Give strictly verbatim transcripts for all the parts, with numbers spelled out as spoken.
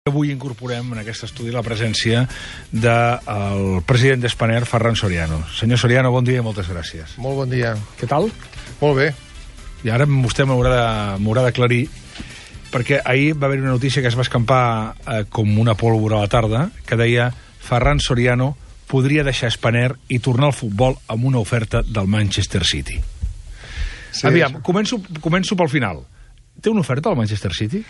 Avui incorporem en aquest estudi la presència del president d'Spanair, Ferran Soriano. Senyor Soriano, bon dia i moltes gràcies. Molt bon dia. Què tal? Molt bé. I ara vostè m'haurà d'aclarir, perquè ahir va haver una notícia que es va escampar eh, com una pólvora a la tarda, que deia Ferran Soriano podria deixar Spanair i tornar al futbol amb una oferta del Manchester City. Sí, Aviam, començo, començo pel final. Té una oferta al Manchester City?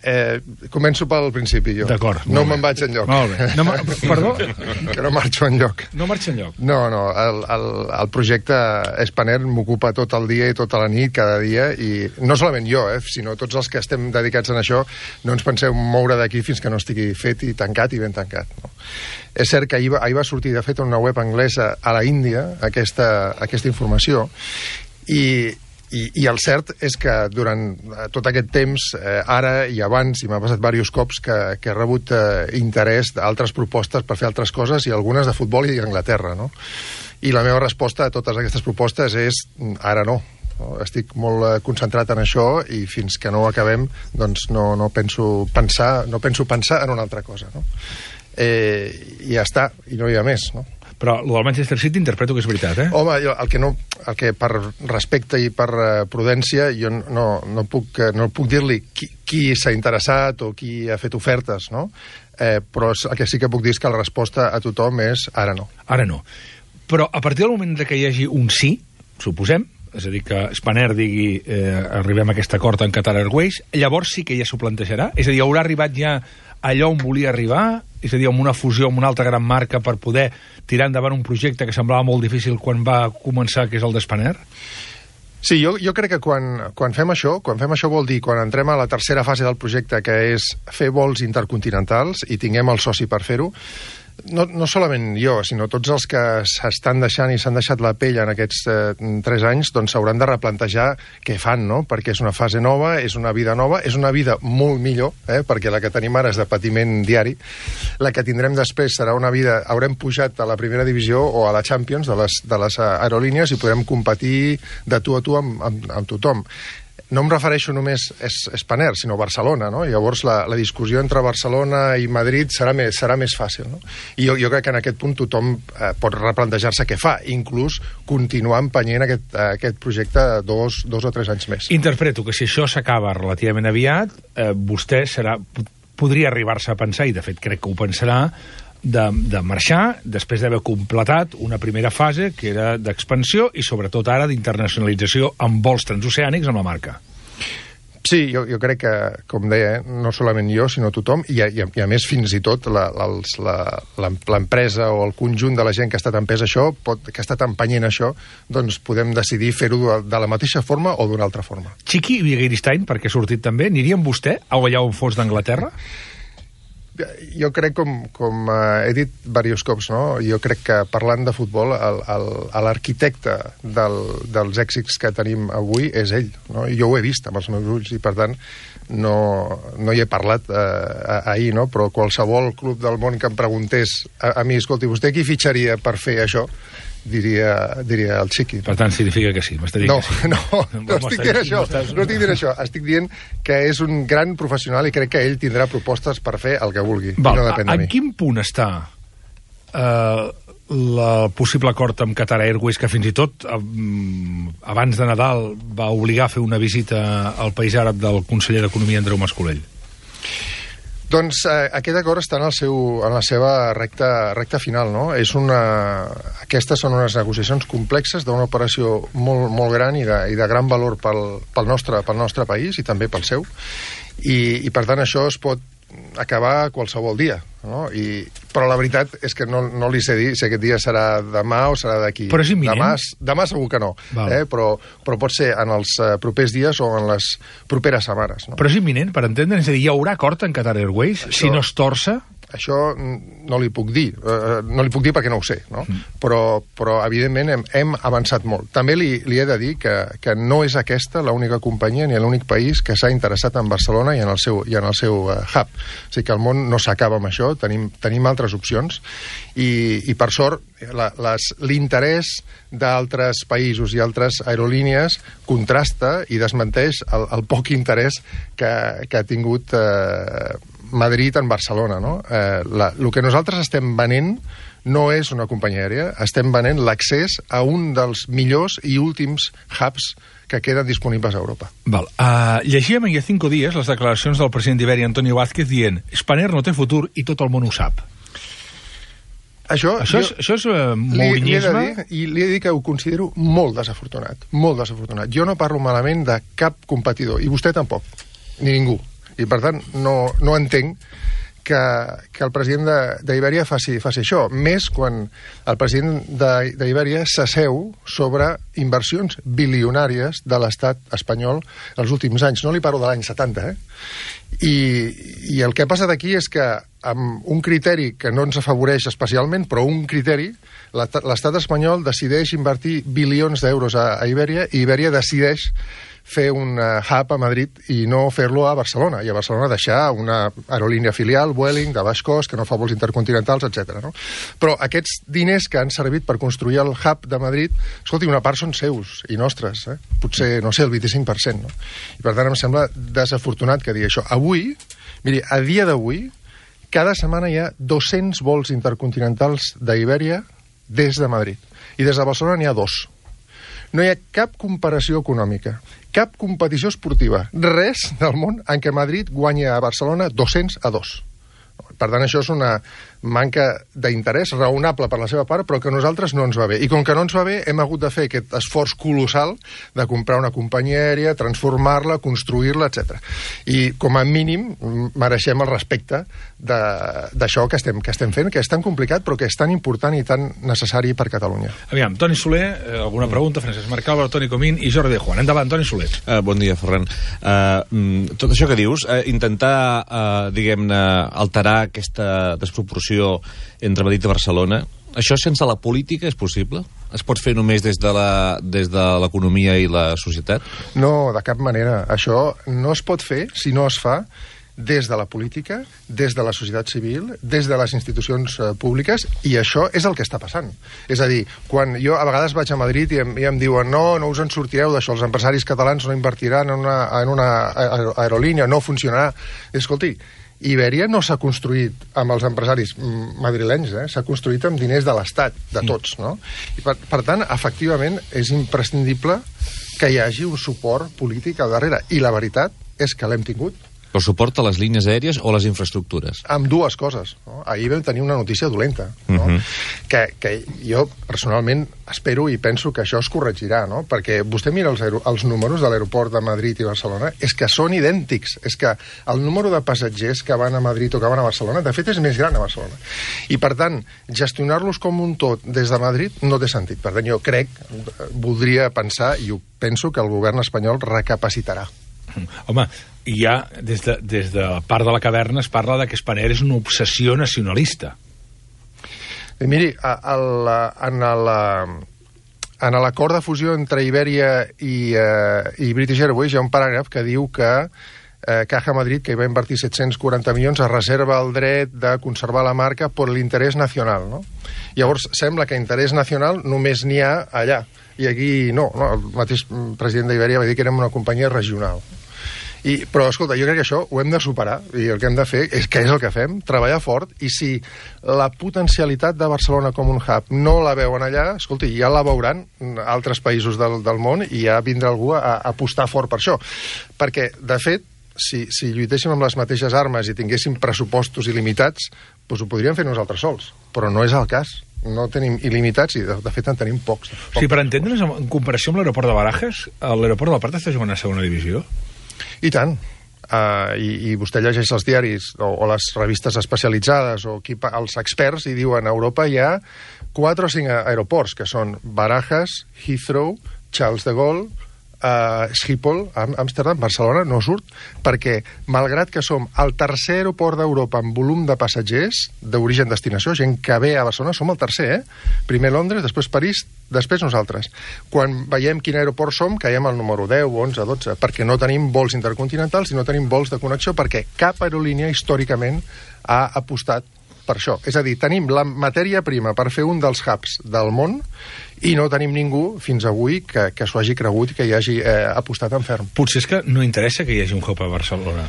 Eh, començo pel principi, jo. D'acord. No me'n vaig enlloc. Molt bé. No, perdó? Que no marxo enlloc. No marxa enlloc? No, no. El, el, el projecte Spanair m'ocupa tot el dia i tota la nit, cada dia, i no solament jo, eh, sinó tots els que estem dedicats en això, no ens penseu moure d'aquí fins que no estigui fet i tancat i ben tancat. No? És cert que ahir va, ahir va sortir, de fet, en una web anglesa a la Índia, aquesta, aquesta informació, i... I, I el cert és que durant tot aquest temps, eh, ara i abans, i m'ha passat diversos cops, que, que he rebut eh, interès d'altres propostes per fer altres coses, i algunes de futbol i d'Anglaterra, no? I la meva resposta a totes aquestes propostes és ara no. no? Estic molt eh, concentrat en això i fins que no ho acabem, doncs no, no, penso pensar, no penso pensar en una altra cosa, no? Eh, I ja està, i no hi ha més, no? Però el del Manchester City interpreto que és veritat, eh? Home, jo, el que, no, el que per respecte i per uh, prudència jo no, no puc, no puc dir-li qui, qui s'ha interessat o qui ha fet ofertes, no? Eh, però el que sí que puc dir és que la resposta a tothom és ara no. Ara no. Però a partir del moment que hi hagi un sí, suposem, és a dir, que Spanair digui eh, arribem a aquest acord en Qatar Airways, llavors sí que ja s'ho plantejarà? És a dir, haurà arribat ja allò on volia arribar, és a dir, amb una fusió amb una altra gran marca per poder tirar endavant un projecte que semblava molt difícil quan va començar, que és el d'Spanair? Sí, jo, jo crec que quan, quan fem això, quan fem això vol dir, quan entrem a la tercera fase del projecte, que és fer vols intercontinentals i tinguem el soci per fer-ho, no, no solament jo, sinó tots els que s'estan deixant i s'han deixat la pell en aquests eh, tres anys, doncs s'hauran de replantejar què fan, no? Perquè és una fase nova, és una vida nova, és una vida molt millor, eh? Perquè la que tenim ara és de patiment diari. La que tindrem després serà una vida... Haurem pujat a la primera divisió o a la Champions de les, de les aerolínies i podrem competir de tu a tu amb, amb, amb tothom. No em refereixo només a Spanair, sinó a Barcelona, no? Llavors la, la discussió entre Barcelona i Madrid serà més, serà més fàcil, no? I jo, jo crec que en aquest punt tothom eh, pot replantejar-se què fa, inclús continuar empenyent aquest, eh, aquest projecte dos, dos o tres anys més. Interpreto que si això s'acaba relativament aviat, eh, vostè serà, podria arribar-se a pensar, i de fet crec que ho pensarà, de, de marxar després d'haver completat una primera fase que era d'expansió i sobretot ara d'internacionalització amb vols transoceànics amb la marca. Sí, jo, jo crec que, com deia, no solament jo, sinó tothom, i a, i a, i a més fins i tot l'empresa o el conjunt de la gent que ha estat empès això, pot, que ha estat empenyent això, doncs podem decidir fer-ho de, de la mateixa forma o d'una altra forma. Chiqui Begiristain, perquè ha sortit també, aniria amb vostè a allà on fos d'Anglaterra? Jo crec, com, com uh, he dit diversos cops, no? Jo crec que parlant de futbol, l'arquitecte del, dels èxits que tenim avui és ell, no? I jo ho he vist amb els meus ulls i, per tant, no, no hi he parlat uh, ahir, no? Però qualsevol club del món que em preguntés a, a mi, escolti, vostè qui fitxaria per fer això? Diria, diria el Chiqui. Per tant, significa que sí, m'està dient no, que sí. No, no, no estic dient això, no estic dient això. Estic dient que és un gran professional i crec que ell tindrà propostes per fer el que vulgui. Val, no depèn de mi. En quin punt està eh, el possible acord amb Qatar Airways, que fins i tot eh, abans de Nadal va obligar a fer una visita al país àrab del conseller d'Economia, Andreu Mas-Colell? Doncs eh, aquest acord està en, el seu, en la seva recta, recta final, no? És una... Aquestes són unes negociacions complexes d'una operació molt, molt gran i de, i de gran valor pel, pel, nostre, pel nostre país i també pel seu. I, i per tant això es pot acabar qualsevol dia, no? I, però la veritat és que no, no li sé dir si aquest dia serà demà o serà d'aquí. Però és imminent? Demà, demà segur que no, eh? però, però pot ser en els uh, propers dies o en les properes setmanes. No? Però és imminent, per entendre? És a dir, hi haurà acord en Qatar Airways? Això... Si no es torça? Això no li puc dir, uh, no li puc dir perquè no ho sé, no? Mm. Però, però evidentment hem, hem avançat molt. També li, li he de dir que, que no és aquesta l'única companyia ni l'únic país que s'ha interessat en Barcelona i en el seu, i en el seu uh, hub. O sigui que el món no s'acaba amb això, tenim, tenim altres opcions i, i per sort l'interès d'altres països i altres aerolínies contrasta i desmenteix el, el poc interès que, que ha tingut eh, Madrid en Barcelona, no? Eh, la, el que nosaltres estem venent no és una companyia aèria, estem venent l'accés a un dels millors i últims hubs que queden disponibles a Europa. Val. Uh, llegíem ahir a Cinco Días les declaracions del president d'Iberia, Antonio Vázquez, dient Spanair no té futur i tot el món ho sap. Això, això és, jo, això és uh, mourinyisme? Li, li dir, I li he de dir que ho considero molt desafortunat, molt desafortunat. Jo no parlo malament de cap competidor, i vostè tampoc, ni ningú. I, per tant, no, no entenc que, que el president d'Iberia faci, faci això, més quan el president d'Iberia s'asseu sobre inversions bilionàries de l'estat espanyol els últims anys. No li parlo de l'any setanta, eh? I, I el que ha passat aquí és que amb un criteri que no ens afavoreix especialment, però un criteri, l'estat espanyol decideix invertir bilions d'euros a, a Iberia i Iberia decideix fer un uh, hub a Madrid i no fer-lo a Barcelona, i a Barcelona deixar una aerolínia filial, Vueling, de baix cost, que no fa vols intercontinentals, etcètera. No? Però aquests diners que han servit per construir el hub de Madrid, escolti, una part són seus i nostres, eh? Potser, no sé, el vint-i-cinc per cent. No? I per tant em sembla desafortunat que digui això. Avui, miri, a dia d'avui, cada setmana hi ha dos-cents vols intercontinentals d'Iberia des de Madrid. I des de Barcelona n'hi ha dos. No hi ha cap comparació econòmica, cap competició esportiva, res del món en què Madrid guanya a Barcelona dos-cents a dos. Per tant, això és una manca d'interès raonable per la seva part, però que a nosaltres no ens va bé. I com que no ens va bé, hem hagut de fer aquest esforç colossal de comprar una companyia aèria, transformar-la, construir-la, etcètera. I, com a mínim, mereixem el respecte d'això que estem, que estem fent, que és tan complicat, però que és tan important i tan necessari per Catalunya. Aviam, Toni Soler, alguna pregunta? Francesc Marcalva, Toni Comín i Jordi de Juan. Endavant, Toni Soler. Uh, bon dia, Ferran. Uh, tot això que dius, uh, intentar, uh, diguem-ne, alterar aquesta desproporció entre Madrid i Barcelona, això sense la política és possible? Es pot fer només des de la, des de l'economia i la societat? No, de cap manera. Això no es pot fer si no es fa des de la política, des de la societat civil, des de les institucions eh, públiques, i això és el que està passant. És a dir, quan jo a vegades vaig a Madrid i em, i em diuen no, no us en sortireu d'això, els empresaris catalans no invertiran en una, en una aerolínia, no funcionarà. I, escolti, Iberia no s'ha construït amb els empresaris madrilenys, eh? S'ha construït amb diners de l'Estat, de tots, no? I per, per tant, efectivament, és imprescindible que hi hagi un suport polític al darrere. I la veritat és que l'hem tingut. El suport a les línies aèries o les infraestructures? Amb dues coses. No? Ahir vam tenir una notícia dolenta, no? Uh-huh. que, que jo personalment espero i penso que això es corregirà, no? Perquè vostè mira els, els números de l'aeroport de Madrid i Barcelona, és que són idèntics. És que el número de passatgers que van a Madrid o que van a Barcelona, de fet, és més gran a Barcelona. I, per tant, gestionar-los com un tot des de Madrid no té sentit. Per tant, jo crec, voldria pensar, i ho penso, que el govern espanyol recapacitarà. Home, ja des de, des de part de la caverna es parla de que Spanair és una obsessió nacionalista. I miri, a, a, en en l'acord de fusió entre Iberia i, uh, i British Airways hi ha un paràgraf que diu que eh, Caja Madrid, que hi va invertir set-cents quaranta milions, es reserva el dret de conservar la marca per l'interès nacional, no? Llavors, sembla que interès nacional només n'hi ha allà, i aquí no, no, el mateix president d'Iberia va dir que érem una companyia regional. I, però, escolta, jo crec que això ho hem de superar, i el que hem de fer, és, que és el que fem, treballar fort, i si la potencialitat de Barcelona com un hub no la veuen allà, escolti, ja la veuran altres països del, del món, i ja vindrà algú a, a apostar fort per això. Perquè, de fet, si, si lluitéssim amb les mateixes armes i tinguéssim pressupostos il·limitats, doncs ho podríem fer nosaltres sols, però no és el cas. No tenim il·limitats i, de, de fet, en tenim pocs. pocs. Sí, per entendre's, en comparació amb l'aeroport de Barajas, l'aeroport del Prat està jugant a segona divisió? I tant. Uh, i, i vostè llegeix els diaris o, o les revistes especialitzades o qui, els experts i diuen a Europa hi ha quatre o cinc aeroports que són Barajas, Heathrow, Charles de Gaulle, Uh, Schiphol, Amsterdam, Barcelona no surt, perquè malgrat que som el tercer aeroport d'Europa en volum de passatgers d'origen-destinació, gent que ve a Barcelona, som el tercer, eh? Primer Londres, després París, després nosaltres. Quan veiem quin aeroport som, caiem al número deu, onze, dotze, perquè no tenim vols intercontinentals i no tenim vols de connexió, perquè cap aerolínia històricament ha apostat per això. És a dir, tenim la matèria prima per fer un dels hubs del món i no tenim ningú fins avui que, que s'ho hagi cregut i que hi hagi eh, apostat en ferm. Potser és que no interessa que hi hagi un hub a Barcelona.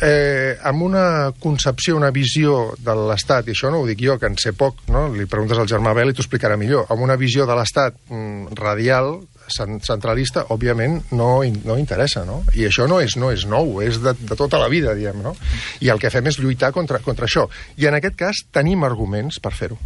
eh, amb una concepció, una visió de l'Estat, i això no ho dic jo, que en sé poc, no? Li preguntes al Germà Bel i t'ho explicarà millor, amb una visió de l'Estat mm, radial, centralista, òbviament no, no interessa, no? I això no és, no és nou, és de, de tota la vida, diguem, no? I el que fem és lluitar contra, contra això. I en aquest cas tenim arguments per fer-ho.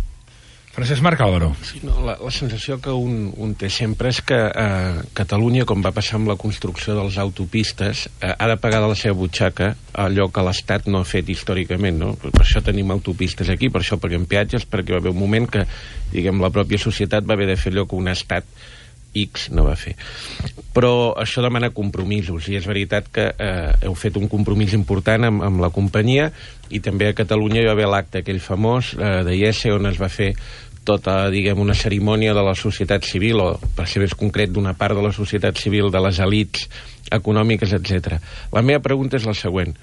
Francesc Marc Álvaro. Sí, no, la, la sensació que un, un té sempre és que eh, Catalunya, com va passar amb la construcció de les autopistes, eh, ha de pagar de la seva butxaca allò que l'Estat no ha fet històricament, no? Per això tenim autopistes aquí, per això paguem peatges, perquè va haver un moment que, diguem, la pròpia societat va haver de fer allò que un Estat X no va fer. Però això demana compromisos, i és veritat que eh, heu fet un compromís important amb, amb la companyia, i també a Catalunya hi va haver l'acte aquell famós eh, de I E S E, on es va fer tota, diguem, una cerimònia de la societat civil, o per ser més concret d'una part de la societat civil, de les elits econòmiques, etcètera. La meva pregunta és la següent.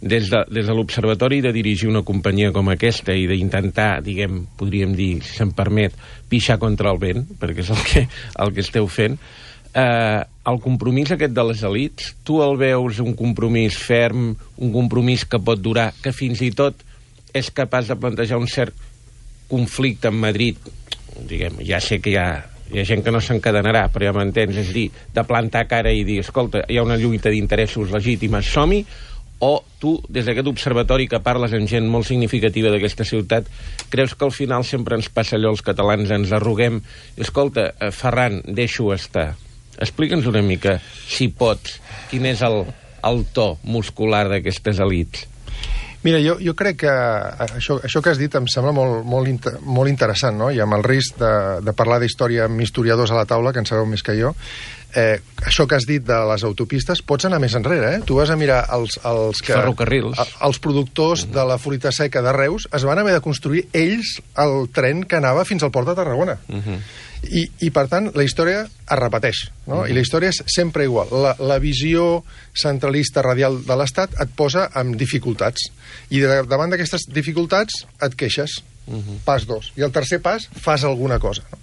Des de, des de l'observatori de dirigir una companyia com aquesta i d'intentar, diguem, podríem dir, si se'm permet, pixar contra el vent, perquè és el que, el que esteu fent, eh, el compromís aquest de les elits, tu el veus un compromís ferm, un compromís que pot durar, que fins i tot és capaç de plantejar un cert conflicte amb Madrid, diguem, ja sé que hi ha, hi ha gent que no s'encadenarà, però ja m'entens, és dir, de plantar cara i dir, escolta, hi ha una lluita d'interessos legítimes, som-hi, o tu, des d'aquest observatori que parles amb gent molt significativa d'aquesta ciutat, creus que al final sempre ens passa allò, els catalans ens arruguem, escolta, Ferran, deixo estar. Explica'ns una mica, si pots, quin és el, el to muscular d'aquestes elits. Mira, jo, jo crec que això, això que has dit em sembla molt, molt, inter, molt interessant, no? I amb el risc de, de parlar d'història amb historiadors a la taula, que en sabeu més que jo, eh, això que has dit de les autopistes, pots anar més enrere, eh? Tu vas a mirar els, els, que, ferrocarrils. Els productors de la fruita seca de Reus es van haver de construir ells el tren que anava fins al port de Tarragona. Uh -huh. I, I, per tant, la història es repeteix, no? Uh-huh. I la història és sempre igual. La, la visió centralista radial de l'Estat et posa en dificultats. I de, davant d'aquestes dificultats et queixes. Uh-huh. Pas dos. I el tercer pas, fas alguna cosa. No?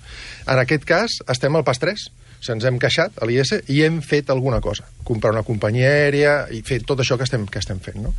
En aquest cas, estem al pas tres. O sigui, ens hem queixat a l'I E S E i hem fet alguna cosa. Comprar una companyia aèria i fer tot això que estem, que estem fent, no?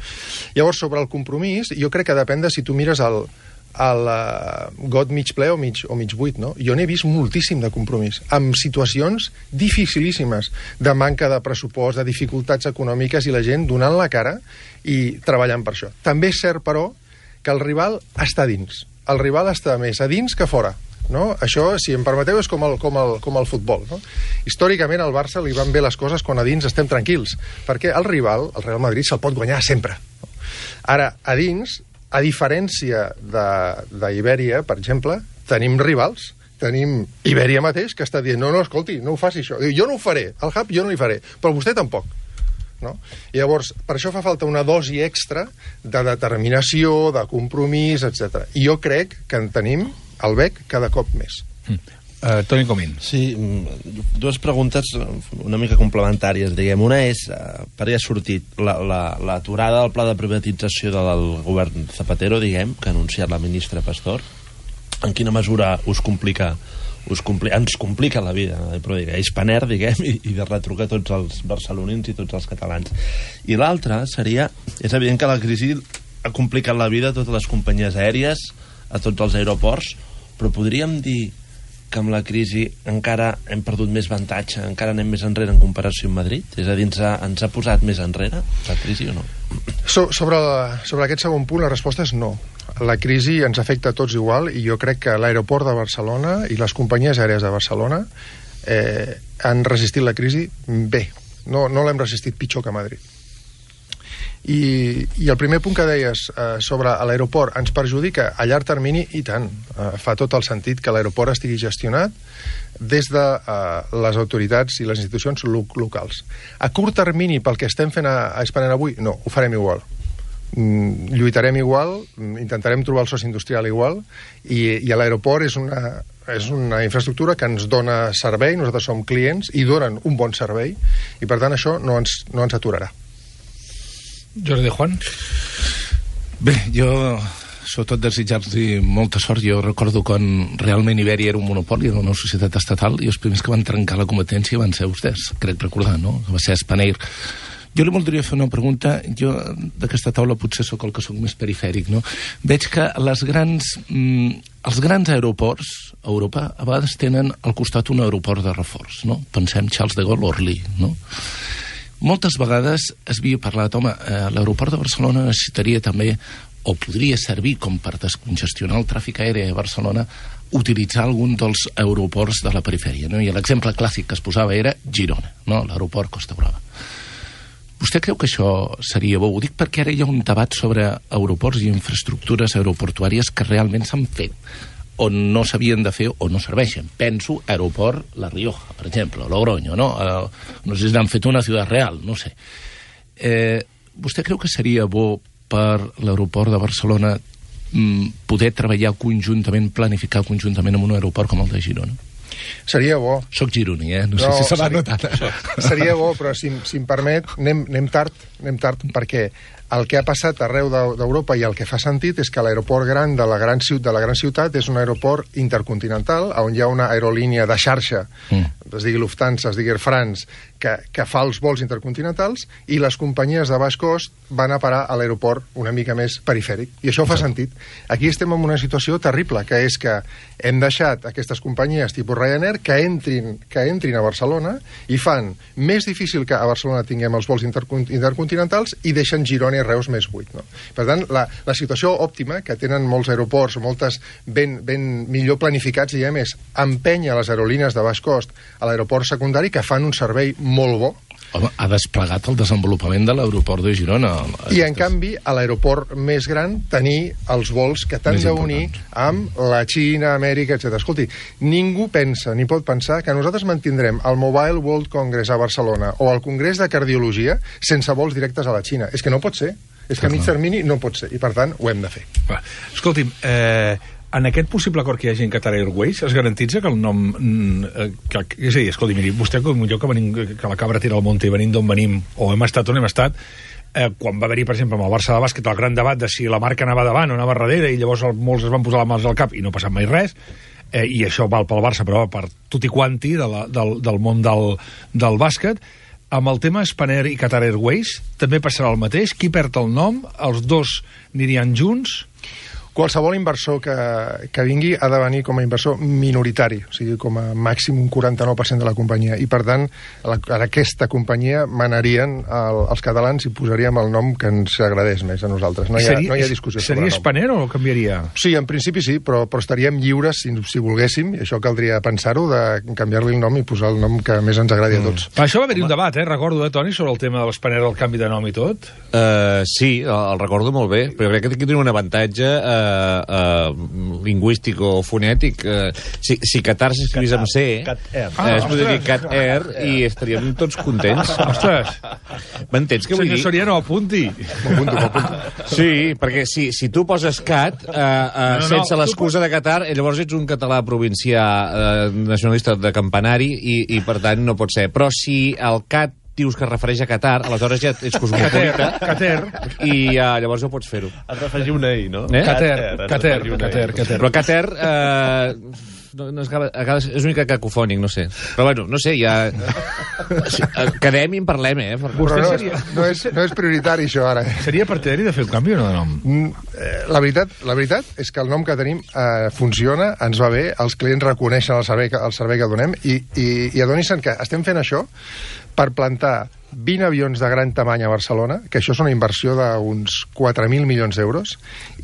Llavors, sobre el compromís, jo crec que depèn de si tu mires el... el uh, got mig ple o mig, o mig buit, no? Jo n'he vist moltíssim de compromís, amb situacions dificilíssimes, de manca de pressupost, de dificultats econòmiques, i la gent donant la cara i treballant per això. També és cert, però, que el rival està dins. El rival està més a dins que fora. No? Això, si em permeteu, és com el, com el, com el futbol. No? Històricament al Barça li van bé les coses quan a dins estem tranquils, perquè el rival, el Real Madrid, se'l pot guanyar sempre. No? Ara, a dins, a diferència d'Ibèria, per exemple, tenim rivals. Tenim Ibèria mateix, que està dient, no, no, escolti, no ho faci això. Diu, jo no ho faré, el hub jo no hi faré, però vostè tampoc. No? I llavors, per això fa falta una dosi extra de determinació, de compromís, etcètera. I jo crec que en tenim al B E C cada cop més. Mm. Uh, Toni Comín. Sí, dues preguntes una mica complementàries, diguem. Una és, per ja ha sortit, l'aturada la, la, del pla de privatització del govern Zapatero, diguem, que ha anunciat la ministra Pastor. En quina mesura us complica, us compli, ens complica la vida, però diguem, és Spanair, diguem, i, i de retrucar tots els barcelonins i tots els catalans. I l'altra seria, és evident que la crisi ha complicat la vida a totes les companyies aèries, a tots els aeroports, però podríem dir que amb la crisi encara hem perdut més avantatge, encara anem més enrere en comparació amb Madrid? És a dir, ens ha, ens ha posat més enrere la crisi o no? So, sobre, la, sobre aquest segon punt, la resposta és no. La crisi ens afecta a tots igual, i jo crec que l'aeroport de Barcelona i les companyies aèries de Barcelona eh, han resistit la crisi bé. No, no l'hem resistit pitjor que Madrid. I, i el primer punt que deies eh, sobre l'aeroport ens perjudica a llarg termini, i tant, eh, fa tot el sentit que l'aeroport estigui gestionat des de eh, les autoritats i les institucions lo locals. A curt termini, pel que estem fent a, a Spanair avui, no, ho farem igual. Mm, lluitarem igual, intentarem trobar el soci industrial igual, i, i l'aeroport és una, és una infraestructura que ens dona servei, nosaltres som clients i donen un bon servei, i per tant això no ens, no ens aturarà. Jordi Juan? Bé, jo sobretot desitjar-los molta sort. Jo recordo quan realment Ibèria era un monopoli, era una societat estatal, i els primers que van trencar la competència van ser vostès, crec recordar, no? Va ser Spanair. Jo li voldria fer una pregunta. Jo, d'aquesta taula, potser sóc el que sóc més perifèric, no? Veig que les grans, mm, els grans aeroports a Europa a vegades tenen al costat un aeroport de reforç, no? Pensem Charles de Gaulle, Orly, no? Moltes vegades es havia parlat, home, eh, l'aeroport de Barcelona necessitaria també, o podria servir com per descongestionar el tràfic aeri a Barcelona, utilitzar algun dels aeroports de la perifèria, no? I l'exemple clàssic que es posava era Girona, no? L'aeroport Costa Brava. Vostè creu que això seria bo? Ho dic perquè ara hi ha un debat sobre aeroports i infraestructures aeroportuàries que realment s'han fet, o no s'havien de fer o no serveixen. Penso aeroport La Rioja, per exemple, Logroño, no? Eh, no sé si n'han fet una Ciutat Real, no sé. Eh, vostè creu que seria bo per l'aeroport de Barcelona mm, poder treballar conjuntament, planificar conjuntament amb un aeroport com el de Girona? Seria bo. Soc gironí, eh? No, no sé si se va notar. Seria bo, però si, si em permet, anem, anem tard, anem tard, perquè el que ha passat arreu d'Europa i el que fa sentit és que l'aeroport gran de la gran, ciutat, de la gran ciutat és un aeroport intercontinental on hi ha una aerolínia de xarxa, mm. es digui Lufthansa, es digui Air France, que, que fa els vols intercontinentals, i les companyies de baix cost van a parar a l'aeroport una mica més perifèric. I això fa sentit. Aquí estem en una situació terrible, que és que hem deixat aquestes companyies tipus Ryanair que entrin, que entrin a Barcelona i fan més difícil que a Barcelona tinguem els vols intercontinentals i deixen Girona i Reus més buit, no? Per tant, la, la situació òptima que tenen molts aeroports, moltes ben, ben millor planificats, diguem, és empènyer les aerolínies de baix cost a l'aeroport secundari que fan un servei molt bo. Home, ha desplegat el desenvolupament de l'aeroport de Girona. I, en canvi, a l'aeroport més gran, tenir els vols que t'han d'unir amb la Xina, Amèrica, etcètera. Escolti, ningú pensa, ni pot pensar, que nosaltres mantindrem el Mobile World Congress a Barcelona o el Congrés de Cardiologia sense vols directes a la Xina. És que no pot ser. És que a mig termini no pot ser. I, per tant, ho hem de fer. Va. Escolti'm, eh... en aquest possible acord que hi hagi en Qatar Airways es garantitza que el nom... Que, és a dir, escolti, miri, vostè com jo que, venim, que la cabra tira al monte i venim d'on venim, o hem estat on hem estat, eh, quan va haver-hi, per exemple, amb el Barça de bàsquet, el gran debat de si la marca anava davant o anava darrere, i llavors el, molts es van posar les mans al cap i no ha passat mai res, eh, i això val pel Barça, però per tutti quanti de la, del, del món del, del bàsquet. Amb el tema Spanair i Qatar Airways també passarà el mateix. Qui perd el nom? Els dos anirien junts? Qualsevol inversor que, que vingui ha de venir com a inversor minoritari, o sigui, com a màxim un quaranta-nou per cent de la companyia. I, per tant, a, la, a aquesta companyia manarien el, els catalans i posaríem el nom que ens agradés més a nosaltres. No hi ha, seria, no hi ha discussió sobre el nom. Seria Spanair o canviaria? Sí, en principi sí, però, però estaríem lliures, si, si volguéssim, i això caldria pensar-ho, de canviar-li el nom i posar el nom que més ens agradi mm. a tots. Per això va haver-hi un debat, eh? Recordo, eh, Toni, sobre el tema de l'Spanair, el canvi de nom i tot. Uh, sí, el, el recordo molt bé, però crec que aquí tenim un avantatge... Uh, Uh, lingüístic o fonètic. Uh, si, si Qatar s'escrivís amb C, Cat Air. Uh, es podria dir Cat Air i estaríem tots contents. Ostres! M'entens què vull dir? Senyor Soriano, apunti. M'apunto, m'apunto. Sí, perquè si, si tu poses Cat uh, uh, no, no, sense l'excusa de Qatar, llavors ets un català provincià uh, nacionalista de campanari i, i per tant no pot ser. Però si el Cat dius que es refereix a Qatar, aleshores ja ets cosmopolita i uh, llavors ho pots fer-ho. Has d'afegir una I, no? Eh? Qatar, Qatar, Qatar, Qatar. Però Qatar eh, no, no és, és una mica cacofònic, no sé. Però bueno, no sé, ja... Quedem i en parlem, eh? Vostè no, seria... no, és, no és prioritari, això, ara. Seria partidari de fer un canvi o no de nom? La veritat, la veritat és que el nom que tenim eh, funciona, ens va bé, els clients reconeixen el servei, el servei que donem i, i, i adonin-se'n que estem fent això per plantar vint avions de gran tamany a Barcelona, que això és una inversió d'uns quatre mil milions d'euros,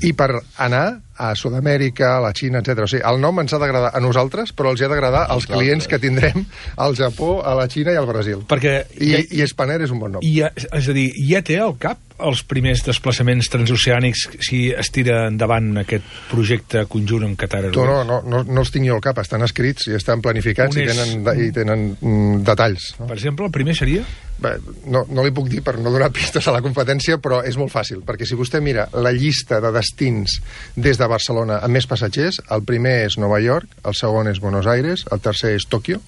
i per anar a Sud-amèrica, a la Xina, etcètera. O sigui, el nom ens ha d'agradar a nosaltres, però els ha d'agradar als clients que tindrem al Japó, a la Xina i al Brasil. Perquè... I, ja, i Spanair és un bon nom. I ja, és a dir, ja té al cap els primers desplaçaments transoceànics si es tira endavant aquest projecte conjunt amb Qatar Airways? No, no, no, no els tinc jo al cap, estan escrits i estan planificats i tenen, i tenen mm, detalls. No? Per exemple, el primer seria? Bé, no, no li puc dir per no donar pistes a la competència, però és molt fàcil, perquè si vostè mira la llista de destins des de Barcelona amb més passatgers, el primer és Nova York, el segon és Buenos Aires, el tercer és Tòquio,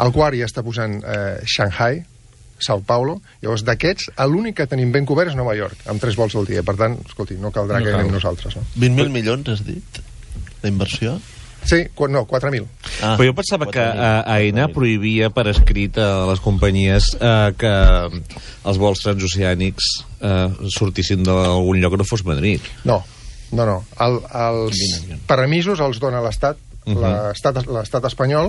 el quart ja està posant eh, Shanghai, Sao Paulo. Llavors, d'aquests, l'únic que tenim ben cobert és Nova York, amb tres vols al dia. Per tant, escolti, no caldrà no que anem nosaltres. No? vint mil milions, has dit, d'inversió? Sí, no, quatre mil. Ah, però jo pensava que uh, AENA prohibia per escrit a les companyies uh, que els vols transoceànics uh, sortissin d'algun lloc que no fos Madrid. No, no, no. El, els permisos els dona l'Estat, Uh -huh. l'estat espanyol,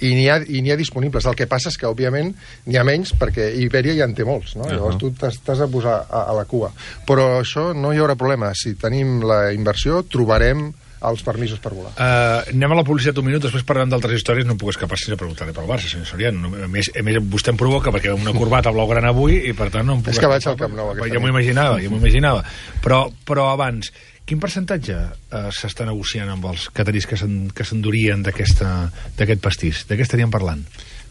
i n'hi ha, i n'hi ha disponibles. El que passa és que, òbviament, n'hi ha menys perquè Ibèria ja en té molts, no? Uh -huh. Llavors tu t'has de posar a, a la cua. Però això no hi haurà problema. Si tenim la inversió, trobarem els permisos per volar. Uh, anem a la publicitat un minut, després parlant d'altres històries. No em puc escapar sense preguntar-li pel Barça, senyor Soriano. A més, a més, vostè em provoca perquè una corbata blaugrana avui i, per tant, no em puc és que vaig al Camp Nou. Ja m'ho imaginava, ja m'ho imaginava. Però, però abans, quin percentatge eh, s'està negociant amb els catarís que s'endurien d'aquest pastís? De què estaríem parlant?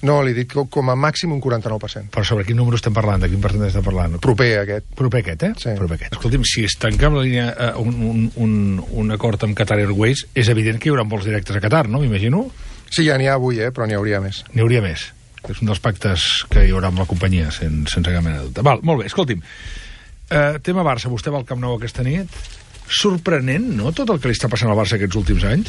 No, li dic com a màxim un quaranta-nou per cent. Però sobre quin número estem parlant? De quin percentatge estem parlant? Proper aquest. Proper aquest, eh? Sí. Proper aquest. Escolti'm, si es tanca amb la línia, eh, un, un, un, un acord amb Qatar Airways, és evident que hi haurà vols directes a Qatar, no? M'imagino? Sí, ja n'hi ha avui, eh? Però n'hi hauria més. N'hi hauria més. És un dels pactes que hi haurà amb la companyia, sense, sense cap mena de dubte. Val, molt bé, escolti'm. Eh, tema Barça, vostè va al Camp Nou aquesta nit. Sorprenent, no?, tot el que li està passant al Barça aquests últims anys?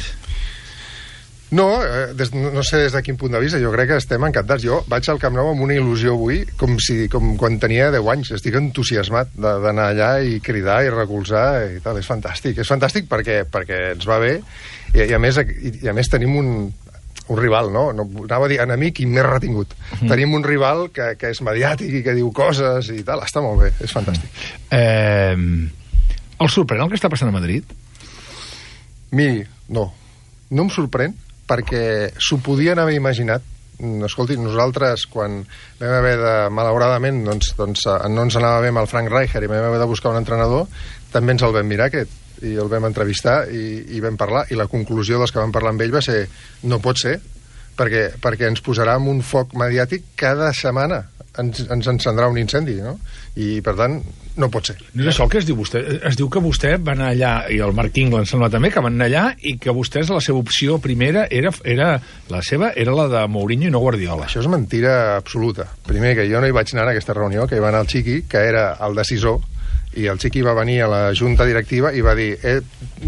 No, eh, des, no sé des de quin punt de vista, jo crec que estem encantats. Jo vaig al Camp Nou amb una il·lusió avui, com, si, com quan tenia deu anys. Estic entusiasmat d'anar allà i cridar i recolzar i tal. És fantàstic, és fantàstic perquè, perquè ens va bé i, i, a, més, i, i a més tenim un, un rival, no? no? Anava a dir enemic i més retingut. Mm. Tenim un rival que, que és mediàtic i que diu coses i tal. Està molt bé, és fantàstic. Mm. Eh... El sorprèn el que està passant a Madrid? Miri, no. No em sorprèn, perquè s'ho podien haver imaginat. Escolti, nosaltres, quan vam haver de, malauradament, doncs, doncs no ens anava bé amb el Frank Rijkaard i vam haver de buscar un entrenador, també ens el vam mirar, aquest, i el vam entrevistar i, i vam parlar. I la conclusió dels que vam parlar amb ell va ser no pot ser, perquè, perquè ens posarà en un foc mediàtic cada setmana. Ens, ens encendrà un incendi, no? I, per tant, no pot ser. No és això el que es diu vostè. Es diu que vostè va anar allà, i el Marc Ingla em sembla també, que van anar allà i que vostès la seva opció primera era, era la seva era la de Mourinho i no Guardiola. Això és mentira absoluta. Primer, que jo no hi vaig anar a aquesta reunió, que hi va anar el Chiqui, que era el decisor, i el Chiqui va venir a la junta directiva i va dir eh,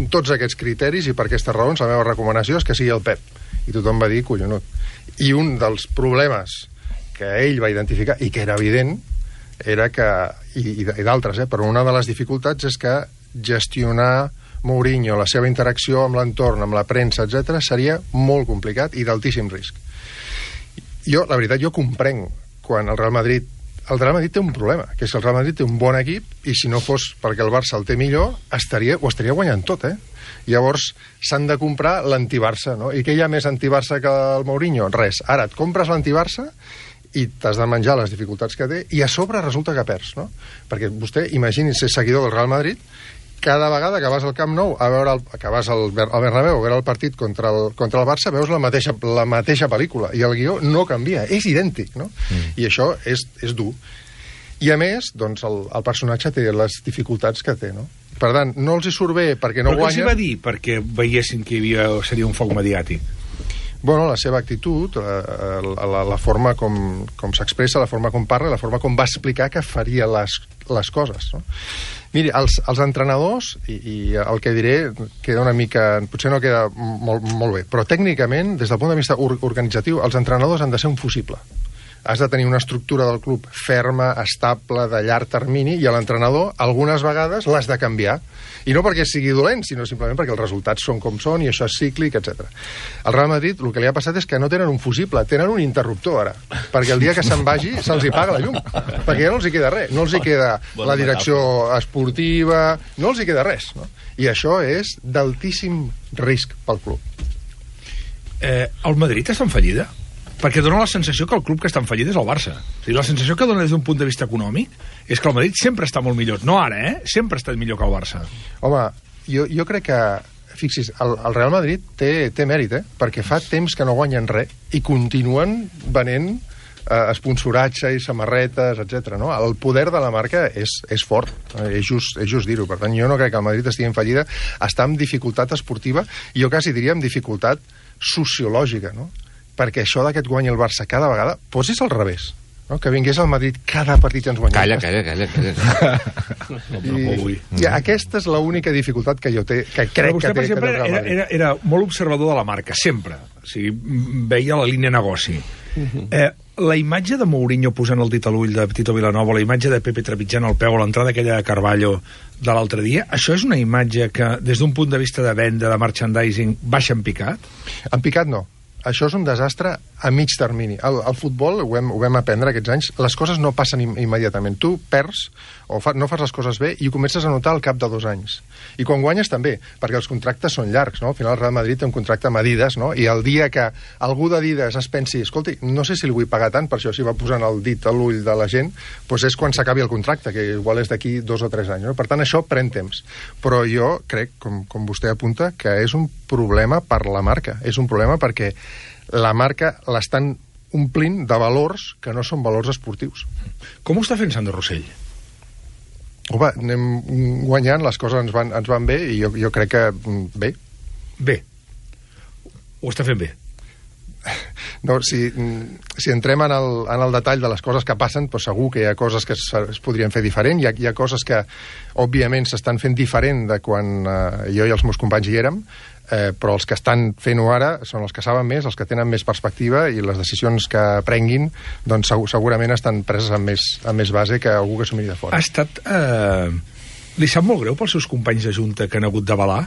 tots aquests criteris i per aquestes raons la meva recomanació és que sigui el Pep. I tothom va dir collonut. I un dels problemes que ell va identificar, i que era evident, era que, i, i d'altres, eh, però una de les dificultats és que gestionar Mourinho, la seva interacció amb l'entorn, amb la premsa, etcètera, seria molt complicat i d'altíssim risc. Jo, la veritat, jo comprenc quan el Real Madrid el Real Madrid té un problema, que és que el Real Madrid té un bon equip i si no fos perquè el Barça el té millor, estaria, ho estaria guanyant tot, eh? Llavors s'han de comprar l'anti-Barça, no? I què hi ha més anti-Barça que el Mourinho? Res. Ara et compres l'anti-Barça i t'has de menjar les dificultats que té, i a sobre resulta que perds, no? Perquè vostè, imagini ser seguidor del Real Madrid, cada vegada que vas al Camp Nou, a veure el, que vas al, al Bernabéu a veure el partit contra el, contra el Barça, veus la mateixa, la mateixa pel·lícula, i el guió no canvia, és idèntic, no? Mm. I això és, és dur. I a més, doncs, el, el personatge té les dificultats que té, no? Per tant, no els hi surt bé perquè no guanya... Però què guanya... els hi va dir perquè veiessin que hi havia, seria un foc mediàtic? Bueno, la seva actitud, la, la, la forma com, com s'expressa, la forma com parla, la forma com va explicar que faria les, les coses, no? Miri, els, els entrenadors, i, i el que diré queda una mica... potser no queda molt, molt bé, però tècnicament, des del punt de vista or, organitzatiu, els entrenadors han de ser un fusible. Has de tenir una estructura del club ferma, estable, de llarg termini, i l'entrenador, algunes vegades, l'has de canviar. I no perquè sigui dolent, sinó simplement perquè els resultats són com són, i això és cíclic, etcètera. Al Real Madrid, el que li ha passat és que no tenen un fusible, tenen un interruptor, ara. Perquè el dia que se'n vagi, se'ls hi paga la llum. Perquè ja no els hi queda res. No els hi queda la direcció esportiva, no els hi queda res, no? I això és d'altíssim risc pel club. Eh, el Madrid està en fallida? Perquè dona la sensació que el club que està en fallida és el Barça. O sigui, la sensació que dona des d'un punt de vista econòmic és que el Madrid sempre està molt millor. No ara, eh? Sempre ha estat millor que el Barça. Home, jo, jo crec que... Fixis, el, el Real Madrid té, té mèrit, eh? Perquè fa temps que no guanyen res i continuen venent eh, esponsoratge i samarretes, etcètera. No? El poder de la marca és, és fort, eh? és, just, és just dir-ho. Per tant, jo no crec que el Madrid estigui en fallida. Està en dificultat esportiva i jo quasi diria en dificultat sociològica, no? Perquè això de que et guanyi el Barça cada vegada, posis al revés. no? Que vingués al Madrid cada partit i ens guanyés. Calla, calla, calla. calla. I, I aquesta és l'única dificultat que jo té, que crec Però vostè, que té... per exemple, que té el era, Real Madrid. era, era molt observador de la marca, sempre. O sigui, veia la línia negoci. Eh, la imatge de Mourinho posant el dit a l'ull de Tito Vilanova, la imatge de Pepe trepitjant el peu a l'entrada aquella de Carvalho de l'altre dia, això és una imatge que, des d'un punt de vista de venda, de merchandising, baixa en picat? En picat no. Això és un desastre a mig termini. El, el futbol, ho vam, ho vam aprendre aquests anys, les coses no passen im immediatament. Tu perds o fa, no fas les coses bé i ho comences a notar al cap de dos anys. I quan guanyes també, perquè els contractes són llargs, no? Al final el Real Madrid té un contracte amb Adidas, no? I el dia que algú d'Adidas es pensi, escolti, no sé si li vull pagar tant, per això s'hi va posant el dit a l'ull de la gent, doncs és quan s'acabi el contracte, que igual és d'aquí dos o tres anys, no? Per tant, això pren temps. Però jo crec, com, com vostè apunta, que és un problema per la marca. És un problema perquè la marca l'estan omplint de valors que no són valors esportius. Com ho està fent Sandro Rossell? Home, anem guanyant, les coses ens van, ens van bé i jo, jo crec que bé. Bé. Ho està fent bé. No, si, si entrem en el, en el detall de les coses que passen, doncs segur que hi ha coses que es, es podrien fer diferent, hi ha, hi ha coses que òbviament s'estan fent diferent de quan eh, jo i els meus companys hi érem, eh, però els que estan fent-ho ara són els que saben més, els que tenen més perspectiva i les decisions que prenguin doncs segur, segurament estan preses amb més, amb més base que algú que s'ho miri de fora. Ha estat... Eh... Li sap molt greu pels seus companys de Junta que han hagut d'avalar?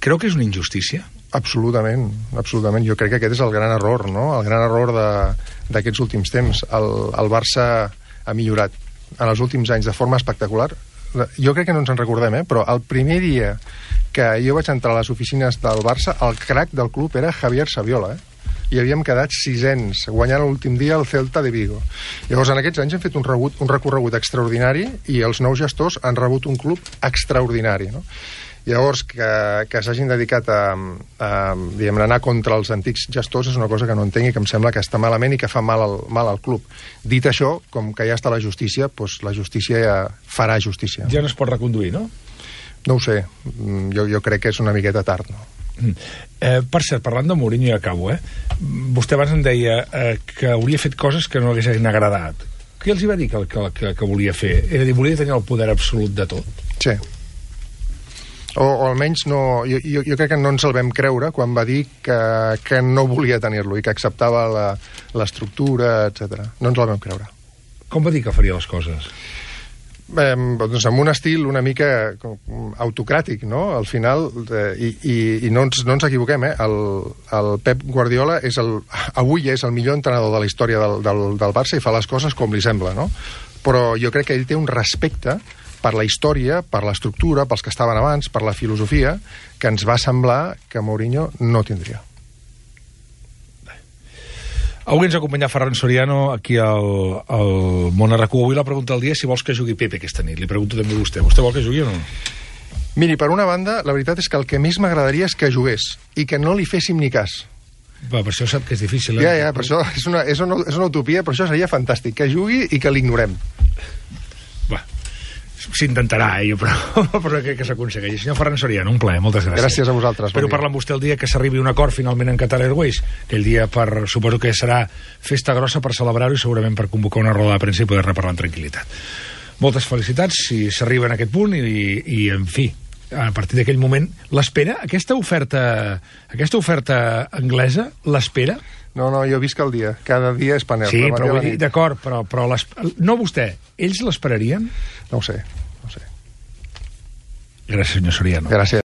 Creu que és una injustícia? Absolutament, absolutament. Jo crec que aquest és el gran error, no? El gran error d'aquests últims temps. El, el Barça ha millorat en els últims anys de forma espectacular. Jo crec que no ens en recordem, eh? Però el primer dia que jo vaig entrar a les oficines del Barça, el crac del club era Javier Saviola, eh? I havíem quedat sisens, guanyant l'últim dia el Celta de Vigo. Llavors, en aquests anys hem fet un, rebut, un recorregut extraordinari i els nous gestors han rebut un club extraordinari, no? Llavors, que, que s'hagin dedicat a, a, diguem, a anar contra els antics gestors és una cosa que no entenc i que em sembla que està malament i que fa mal al, mal al club. Dit això, com que ja està la justícia, doncs la justícia ja farà justícia. Ja no es pot reconduir, no? No ho sé. Jo, jo crec que és una miqueta tard, no? Eh, per cert, parlant de Mourinho, ja acabo, eh? Vostè abans em deia eh, que hauria fet coses que no haguessin agradat. Què els hi va dir que, que, que, que volia fer? Era dir, volia tenir el poder absolut de tot? Sí. O, o almenys no, jo, jo, jo crec que no ens el vam creure quan va dir que, que no volia tenir-lo i que acceptava l'estructura, etcètera. No ens el vam creure. Com va dir que faria les coses? Eh, doncs amb un estil una mica autocràtic, no? Al final, eh, i, i, i no, ens, no ens equivoquem, eh? El, el Pep Guardiola és el, avui és el millor entrenador de la història del, del, del Barça i fa les coses com li sembla, no? Però jo crec que ell té un respecte per la història, per l'estructura, pels que estaven abans, per la filosofia, que ens va semblar que Mourinho no tindria. Avui ens acompanya Ferran Soriano aquí al, al Món R Q. Avui la pregunta del dia és si vols que jugui Pepe aquesta nit. Li pregunto també a vostè. Vostè vol que jugui o no? Miri, per una banda, la veritat és que el que més m'agradaria és que jugués i que no li féssim ni cas. Va, per això sap que és difícil. Eh? Ja, ja, per això és una, és, una, és una utopia, però això seria fantàstic, que jugui i que l'ignorem. Va, s'intentarà, eh, però, però crec que s'aconsegueix. Senyor Ferran Soriano, un plaer, moltes gràcies. Gràcies a vosaltres. Espero parlar amb vostè el dia que s'arribi un acord finalment en Qatar Airways, que el dia per, suposo que serà festa grossa per celebrar-ho i segurament per convocar una roda de premsa i poder-ne parlar amb tranquil·litat. Moltes felicitats si s'arriba en aquest punt i, i en fi, a partir d'aquell moment, l'espera, aquesta oferta, aquesta oferta anglesa, l'espera? No, no, jo visc el dia. Cada dia és panel. Sí, però vull dir, d'acord, però, però no vostè, ells l'esperarien? No ho sé, no ho sé. Gràcies, senyor Soriano. Gràcies.